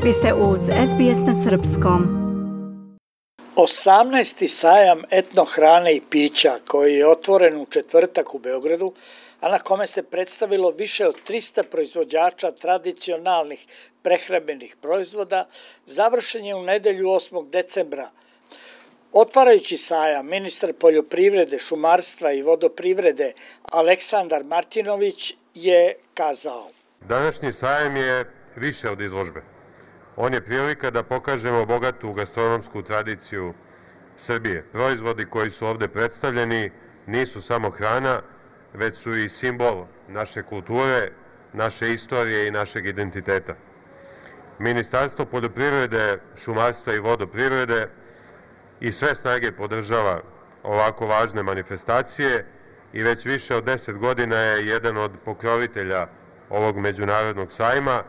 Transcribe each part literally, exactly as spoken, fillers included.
Vi ste uz S B S na srpskom. osamnaesti sajam etno hrane i pića koji je otvoren u četvrtak u Beogradu, a na kome se predstavilo više od trista proizvođača tradicionalnih prehrambenih proizvoda, završen je u nedelju osmog decembra. Otvarajući sajam, ministar poljoprivrede, šumarstva i vodoprivrede Aleksandar Martinović je kazao: Današnji sajam je više od izložbe. On je prilika da pokažemo bogatu gastronomsku tradiciju Srbije. Proizvodi koji su ovde predstavljeni nisu samo hrana, već su i simbol naše kulture, naše istorije i našeg identiteta. Ministarstvo poljoprivrede, šumarstva i vodoprivrede i sve snage podržava ovako važne manifestacije i već više od deset godina je jedan od pokrovitelja ovog međunarodnog sajma.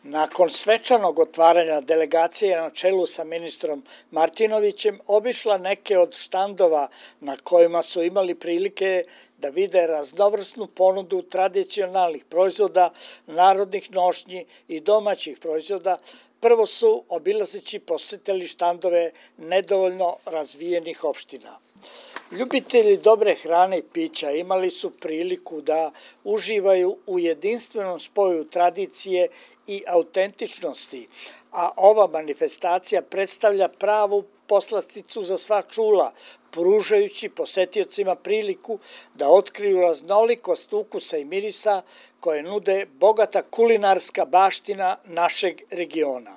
Nakon svečanog otvaranja, delegacija je na čelu sa ministrom Martinovićem obišla neke od štandova na kojima su imali prilike da vide raznovrsnu ponudu tradicionalnih proizvoda, narodnih nošnji i domaćih proizvoda. Prvo su obilazeći posetili štandove nedovoljno razvijenih opština. Ljubitelji dobre hrane i pića imali su priliku da uživaju u jedinstvenom spoju tradicije i autentičnosti, a ova manifestacija predstavlja pravu poslasticu za sva čula, pružajući posetiocima priliku da otkriju raznolikost ukusa i mirisa koje nude bogata kulinarska baština našeg regiona.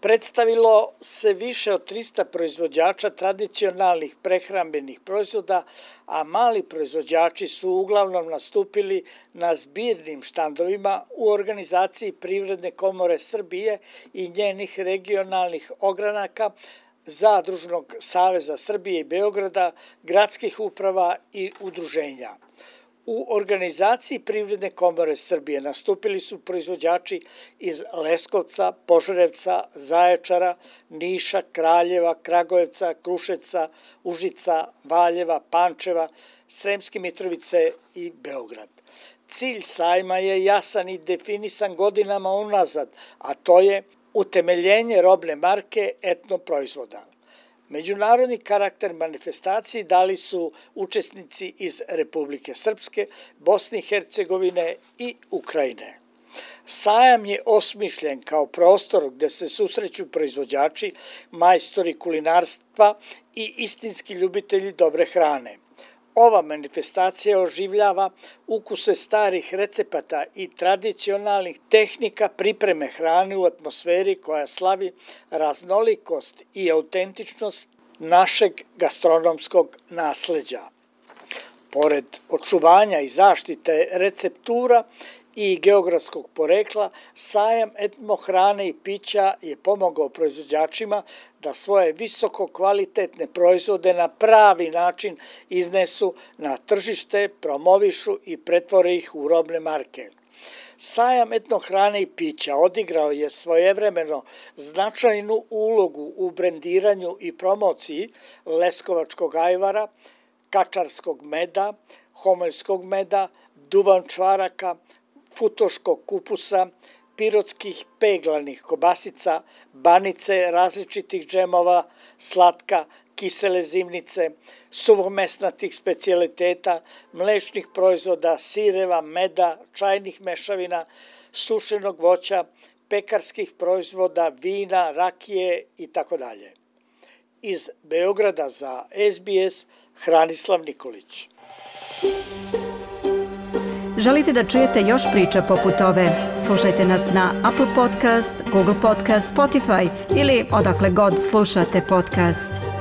Predstavilo se više od trista proizvođača tradicionalnih prehrambenih proizvoda, a mali proizvođači su uglavnom nastupili na zbirnim štandovima u organizaciji Privredne komore Srbije i njenih regionalnih ogranaka, Zadružnog saveza Srbije i Beograda, gradskih uprava i udruženja. U organizaciji Privredne komore Srbije nastupili su proizvođači iz Leskovca, Požarevca, Zaječara, Niša, Kraljeva, Kragujevca, Kruševca, Užica, Valjeva, Pančeva, Sremske Mitrovice i Beograd. Cilj sajma je jasan i definisan godinama unazad, a to je utemeljenje robne marke etno proizvoda. Međunarodni karakter manifestaciji dali su učesnici iz Republike Srpske, Bosne i Hercegovine i Ukrajine. Sajam je osmišljen kao prostor gde se susreću proizvođači, majstori kulinarstva i istinski ljubitelji dobre hrane. Ova manifestacija oživljava ukuse starih recepata i tradicionalnih tehnika pripreme hrane u atmosferi koja slavi raznolikost i autentičnost našeg gastronomskog nasleđa. Pored očuvanja i zaštite receptura i geografskog porekla, sajam etno hrane i pića je pomogao proizvođačima da svoje visoko kvalitetne proizvode na pravi način iznesu na tržište, promovišu i pretvore ih u robne marke. Sajam etno hrane i pića odigrao je svojevremeno značajnu ulogu u brendiranju i promociji leskovačkog ajvara, kačarskog meda, homoljskog meda, duvan čvaraka, futoškog kupusa, pirotskih peglanih kobasica, banice različitih džemova, slatka, kisele zimnice, suvomesnatih specijaliteta, mlečnih proizvoda, sireva, meda, čajnih mešavina, sušenog voća, pekarskih proizvoda, vina, rakije itd. Iz Beograda za S B S, Hranislav Nikolić. Želite da čujete još priča poput ove? Slušajte nas na Apple Podcast, Google Podcast, Spotify ili odakle god slušate podcast.